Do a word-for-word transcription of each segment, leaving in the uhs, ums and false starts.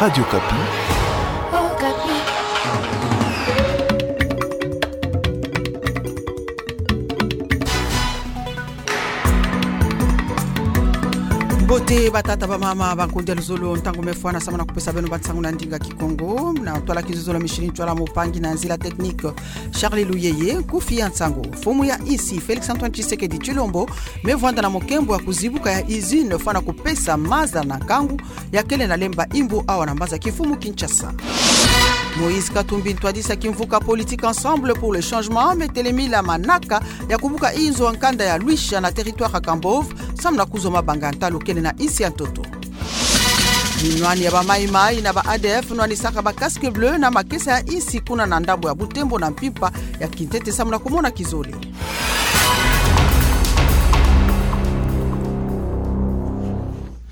Radio Okapi. Mbote batata, bamama, bankundi ya luzolo, ntangu me fwana samu na kupesa beno bansangu na ndinga Kikongo. Na ntwala kizololo, Micheline Ntwala, mopangi na nzila technique Charles Luyeye. Nkufi ya nsangu: mfumu ya insi Félix Antoine Tshisekedi Tshilombo me vwanda na mukembo ya kuzibuka ya usine fwana kupesa maza na nkangu ya kele na Lemba Imbu, awa na mbanza kimfumu Kinshasa. Moïse Katumbi, ntwadisi ya kimvuka politique Ensemble pour le Changement, me telemila manaka ya kubuka inzo ya nkanda ya Luisha na territoire ya Kambove, samu na kuzwa mabanga ya ntalu kele na insi ya ntoto. Binwani ya ba Maï-Maï na ba A D F nwanisaka ba Casques Bleus na makesa ya insi kuna na ndambo ya Butembo na mpimpa ya kintete samu na kumona kizole.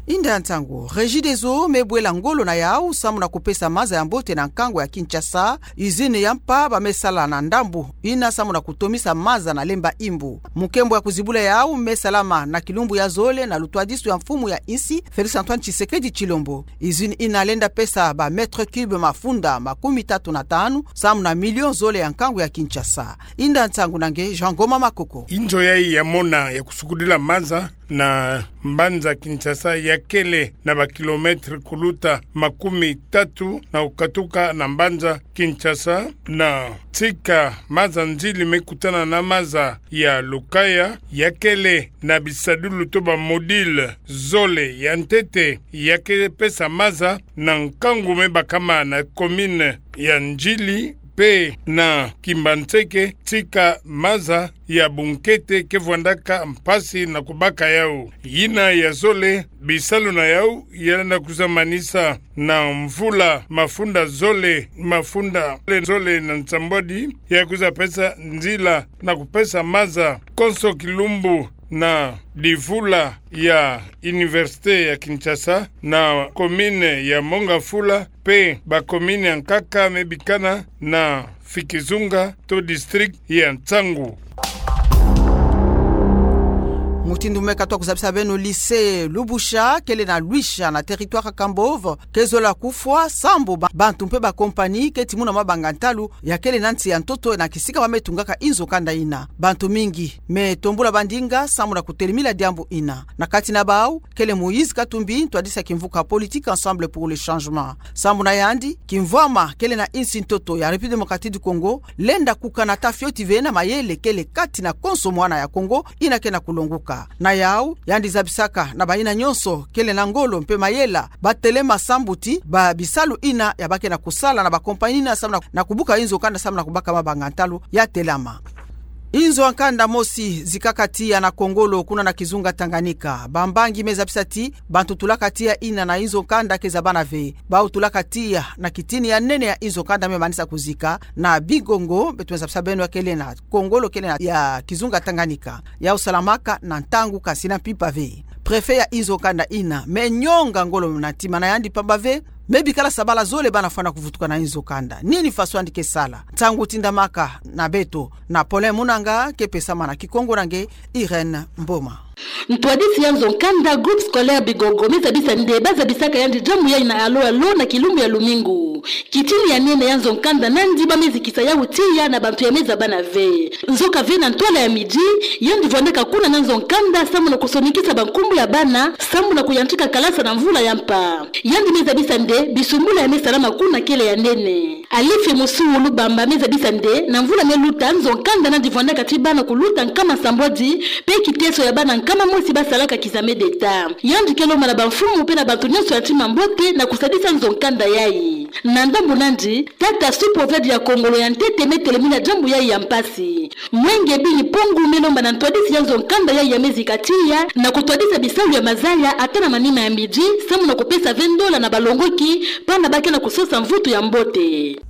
Inda ya nsangu: Regideso me bwela ngolo na yau samu na kupesa maza ya mbote na nkangu ya Kinshasa. Usine ya mpa ba me sala na ndambu ina samu na kutomisa maza na Lemba Imbu. Mukembo ya kuzibula yau me salama na kilumbu ya zole na lutwadisu ya mfumu ya insi Félix Antoine Tshisekedi Tshilombo. Usine ina lenda pesa ba mètres cubes mafunda makumi tatu na tanu samu na millions zole ya nkangu ya Kinshasa. Inda ya nsangu na nge Jean Ngoma Makoko. Inzo yayi ya mona ya kusukudila maza na mbanza Kinshasa ya kele na ba kilomètres kuluta makumi tatu na kukatuka na mbanza Kinshasa, na tika maza nzili me kutana na maza ya Lukaya, ya kele na bisadulu to ba modules zole. Ya ntete, ya ke pesa maza na nkangu me bakama na commune ya Ndjili, mpe na Kimbanseke, tika maza ya bunkete ke vwandaka mpasi na kubaka yau. Yina ya zole, bisalu na yau ya lenda kwiza manisa na mvula mafunda zole, mafunda zole na nsambwadi, ya kwiza pesa nzila na kupesa maza konso kilumbu na divula ya Université ya Kinshasa, na commune ya Mont-Ngafula, mpe ba commune ya nkaka me bikana na Fikizunga to district ya Ntsangu. Mutindu me ka twa kuzabisa beno, lycée Lubusha kele na Luisha na territoire Kambove ke zola kufwa sambu ba, bantu mpe ba compagnie ke timuna mabanga ntalu ya kele na nsi ya ntoto na kisika ba me tungaka inzo kanda ina. Bantu mingi me tombula bandinga samu na kutelemila diambu ina. Na kati na bau kele Moïse Katumbi, ntwadisi ya kimvuka politique Ensemble pour le Changement. Sambu na yandi, kimvwama kele na insi ntoto ya République Démocratique du Congo lenda kukana ta fioti ve na mayele kele kati na konso mwana ya Kongo ina ke na kulonguka. Na yau, yandi zabisaka na bayina nyonso kele na ngolo mpe mayela, ba telema sambu ti ba bisalu ina ya ba ke na kusala na ba compagnie ina samu na, na kubuka inzo kanda samu na kubaka mabanga ntalu ya telama. Inzo ya nkanda mosi zikaka tiya na Kongolo kuna na kizunga Tanganyika. Bambangi me zabisa ti bantu tulaka tiya ina na inzo kanda ke zabana ve. Bau tulaka tiya na kitini ya nene ya inzo kanda me manisa kuzika na Bigongo, beto me zabisa beno ya kele na Kongolo kele na ya kizunga Tanganyika. Yau salamaka na ntangu kasi na mpimpa ve. Préfet ya inzo kanda ina me nyonga ngolo na ntima na yandi pamba ve me bikala sabala zole bana fwana kuvutuka na inzo kanda. Nini faso yandi ke sala? Ntangu tindamaka na beto na Paulin Munanga, ke pesama na Kikongo na nge Irène Mboma. Ntwadisi ya nzo kanda, groupe scolaire Bigongo, me zabisa nde ba zabisaka yandi diambu yayi na alo alo na kilumbu ya lumingu. Kitini ya nene ya nzo kanda nandi ba me zikisa yau tiya na bantu ya me zabana ve. Nzoka ve na ntwala ya midi, yandi vwandaka kuna na nzo kanda samu na kusonikisa bankumbu ya bana samu na kuyantika kalasa na mvula ya mpa. Yandi me zabisa nde bisumbula ya me salama kuna kele ya nene. Alifi Musuulu Bamba me zabisa nde na mvula me luta, nzo kanda nandi vwandaka ti bana kuluta nkama nsambwadi, mpe kiteso ya bana nkama mosi ba salaka kizame deta. Yandi ke lomba na bamfumu mpe na bantu nyonso ya ntima mbote na kusadisa nzo kanda yayi. Na ndambu nandi, tata sous-préfet ya Kongolo ya ntete me telemina diambu yayi ya mpasi. Mwenge Bini Pongu me lomba na ntwadisi ya nzo kanda yayi ya me zika tiya na kutwadisa bisalu ya mazaya ata na manima ya midi, samu na kupesa ve ndola na balongoki, bana ba ke na kusosa mvutu ya mbote.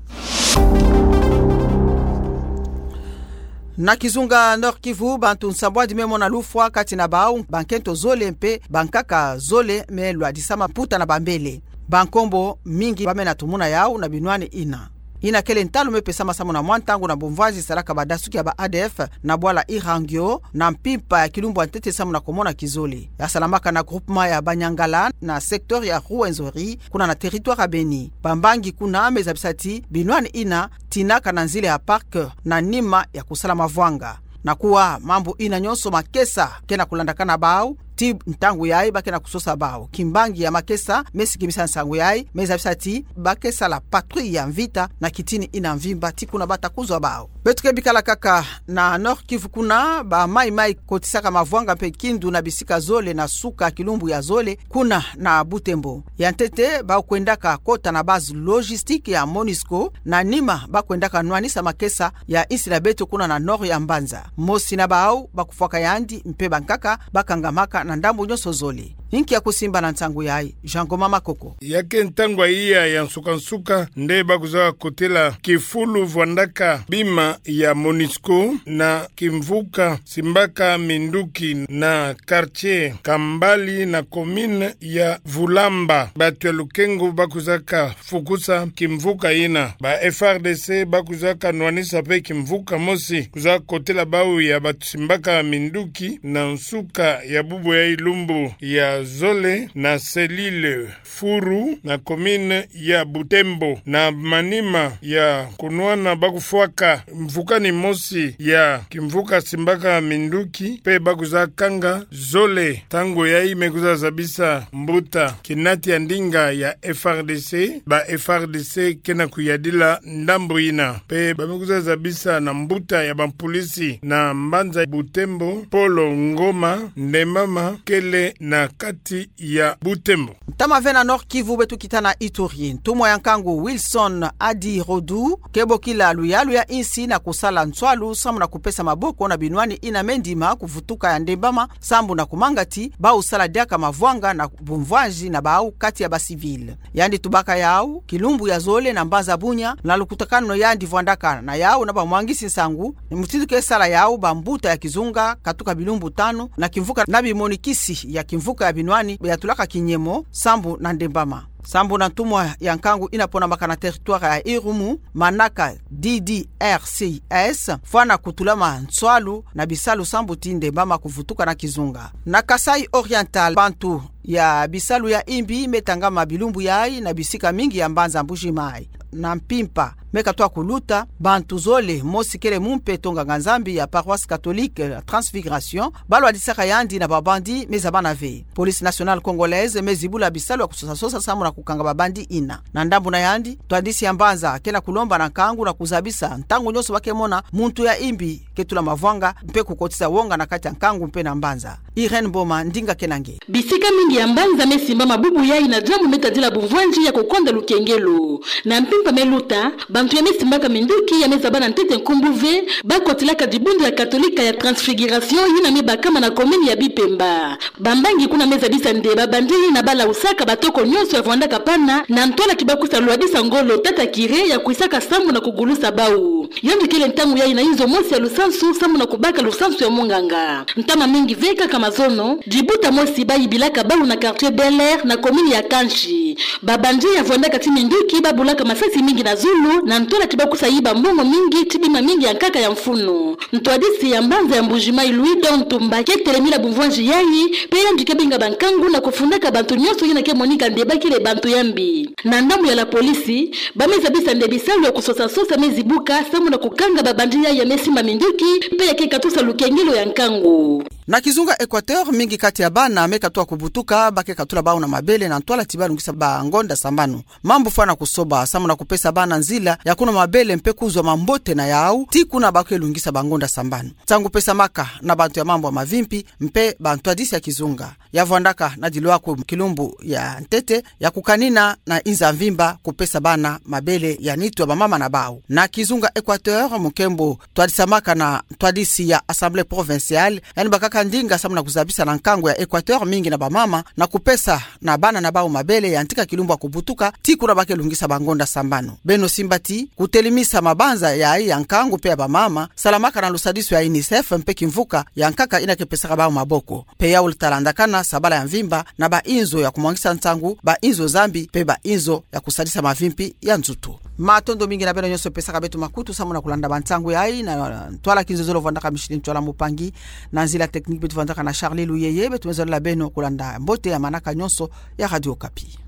Na kizunga Nord-Kivu, bantu nsambwadi me mona lufwa, kati na bau bankento zole mpe bankaka zole me lwadisa maputa na bambele. Bankombo mingi ba me na tumuna yau na binwani ina. ina kele ntalu me pesama samu na mwa ntangu na bumvwazi salaka badasuki ya ba A D F na bwala Irangio, na mpimpa ya kilumbu ya ntete samu na komona kizole. Ya salamaka na groupement ya Banyangala na secteur ya Rwenzori, kuna na territoire ya Beni. Bambangi kuna me zabisa ti binwani ina tinaka na nzila ya parc na nima ya kusala mavwanga. Na kuwa mambu ina nyonso makesa ke na kulandakana bau, ti ntangu yayi ba ke na kusosa bau. Kimbangi ya makesa me sikimisa nsangu yayi, me zabisa ti ba ke sala patrouille ya mvita na kitini ina mvimba ti kuna ba ta kuzwa bau. Beto ke bikala kaka na Nord-Kivu kuna, ba Maï-Maï kotisaka mavwanga mpe kindu na bisika zole na suka kilumbu ya zole, kuna na Butembo. Ya ntete, bau kwendaka kota na base logistique ya MONUSCO, na nima ba kwendaka nwanisa makesa ya insi na beto kuna na nord ya mbanza. Mosi na bau ba kufwaka yandi, mpe bankaka ba kangamaka na ndambu nyonso zole. Inki ya kusimba na nsangu yayi? Jean Ngoma Makoko. Ya ke ntangu ya iya ya nsuka-nsuka nde ba kwiza kotela kifulu vwandaka bima ya MONUSCO na kimvuka simbaka minduki na quartier Kambali na commune ya Vulamba. Batu ya lukengo ba kwizaka fukusa kimvuka ina. Ba F R D C ba kwizaka nwanisa mpe kimvuka mosi kwiza kotela bau ya batu simbaka minduki na nsuka ya bubu ya lumbu ya zole na selile Furu na commune ya Butembo. Na manima ya kunwana ba kufwaka mvukani mosi ya kimvuka simbaka minduki, mpe ba kwiza kanga zole. Ntangu yayi me kwiza zabisa mbuta kinati ya ndinga ya F R D C, ba F R D C ke na kuyadila ndambu ina. Mpe ba me kwiza zabisa na mbuta ya bampolisi na mbanza Butembo, Polo Ngoma, Ndembama kele na kati ya Butembo. Ntama ve na Nord-Kivu, beto kita na Ituri. Ntumwa ya nkangu Wilson Adi Rodu ke bokila luyalu ya insi na kusala nswalu samu na kupesa maboko na binwani ina me ndima ku vutuka ya Ndembama, sambu na kumanga ti bau sala diaka mavwanga na bumvwazi na bau kati ya ba civil. Yandi tubaka yau kilumbu ya zole na mbanza Bunia, na lukutakanu yandi vwandaka na yau na bamwangisi nsangu, mutindu ke sala yau bambuta ya kizunga katuka bilumbu tanu na kimvuka na bimonikisi ya kimvuka ya binwani yatulaka kinyemo sambu na Ndembama. Sambu na ntumwa ya nkangu ina ponamaka na territoire ya Irumu, manaka D D R C S, fwana kutulama nswalu na bisalu sambu ti Ndembama kuvutuka na kizunga. Na Kasaï Oriental, bantu ya bisalu ya imbi me tangama bilumbu yayi na bisika mingi ya mbanza Mbuji-Mayi. Na mpimpa me katwa kuluta, bantu zole, mosi kele mumpe to nganga-Nzambi ya paroisse catholique ya Transfiguration, ba lwadisaka yandi na ba bandits me zabana ve. Police nationale congolaise me zibula bisalu ya kusosa-sosa samu na kukanga ba bandits ina. Na ndambu na yandi, ntwadisi ya mbanza ke na kulomba na nkangu na kuzabisa ntangu nyonso ba ke mona muntu ya imbi ke tula mavwanga mpe kukotisa wonga na kati ya nkangu mpe na mbanza. Irène Boma, ndinga ke na nge. Bisika mingi ya mbanza me simbama bubu yayi na diambu me tadila bumvwanzi ya kukonda lukengelo. Na mpimpa me luta, bantu ya me simbaka minduki ya me zabana ntete nkumbu ve, ba kotilaka dibundu ya Katolika ya Transfiguration yina me bakama na commune ya Bipemba. Bambangi kuna me zabisa nde ba bandits yina ba lausaka batoko nyonso ya vwandaka pana, na ntwala ti ba kwiza lwadisa ngolo tata curé ya kwisaka sambu na kugulusa bau. Yonde kele ntangu yayi na inzo mosi ya lusansu sambu na kubaka lusansu ya munganga. Ntama mingi ve kaka mazono, dibuta mosi ba yibilaka bau na quartier Bel Air na commune ya Kansi. Ba bandits ya vwandaka ti minduki ba bulaka masasi mingi na zulu, na ntwala ti ba kwiza yiba mbongo mingi ti bima mingi ya nkaka ya mfunu. Ntwadisi ya mbanza ya Mbuji-Mayi Louis Don Tumba ke telemina bumvwanzi yayi, mpe yandi ke binga bankangu na kufundaka bantu nyonso yina ke monika nde ba kele bantu ya mbi. Na ndambu ya la police, ba me zabisa nde bisalu ya kusosa-sosa me zibuka, sambu na kukanga ba bandits yayi ya me simba minduki, mpe ya ke katusa lukengelo ya nkangu. Na kizunga Équateur, mingi kati ya bana me katwa kubutuka, ba ke katula bau na mabele na ntwala ti ba lungisa ba ngonda sambanu. Mambu fwana kusoba, sambu na kupesa bana nzila ya kunwa mabele mpe kuzwa mambote na yau, ti kuna ba ke lungisa ba ngonda sambanu. Nsangu pesamaka na bantu ya mambu ya mavimpi, mpe ba ntwadisi ya kizunga. Ya vwandaka na dilwaku kilumbu ya ntete, ya kukanina na inza mvimba kupesa bana mabele ya nitu ya bamama na bau. Na kizunga Équateur, mukembo twadisamaka na ntwadisi ya Assemblée provinciale, yandi bakaka ndinga sambu na kuzabisa na nkangu ya Équateur mingi na bamama, na kupesa na bana na bau mabele ya ntika kilumbu ya kubutuka, ti kuna ba ke lungisa ba ngonda sambanu. Beno simba ti, kutelemisa mabanza yayi ya nkangu mpe ya bamama, salamaka na lusadisu ya UNICEF mpe kimvuka ya nkaka yina ke pesaka bau maboko. Mpe yau lutalandakana sabala ya mvimba na ba inzo ya kumwangisa nsangu, ba inzo za mbi, mpe ba inzo ya kusadisa mavimpi ya nzutu. Matondo mingi na beno nyonso pesaka beto makutu samuna kulanda bansangu yayi, na, na, ntwala kinzozolo vandaka Micheline Ntwala Mupangi, na nzila technique beto vandaka na Charlie Luyeye, beto mezolele beno kulanda mbote ya manaka nyonso ya Radio Okapi.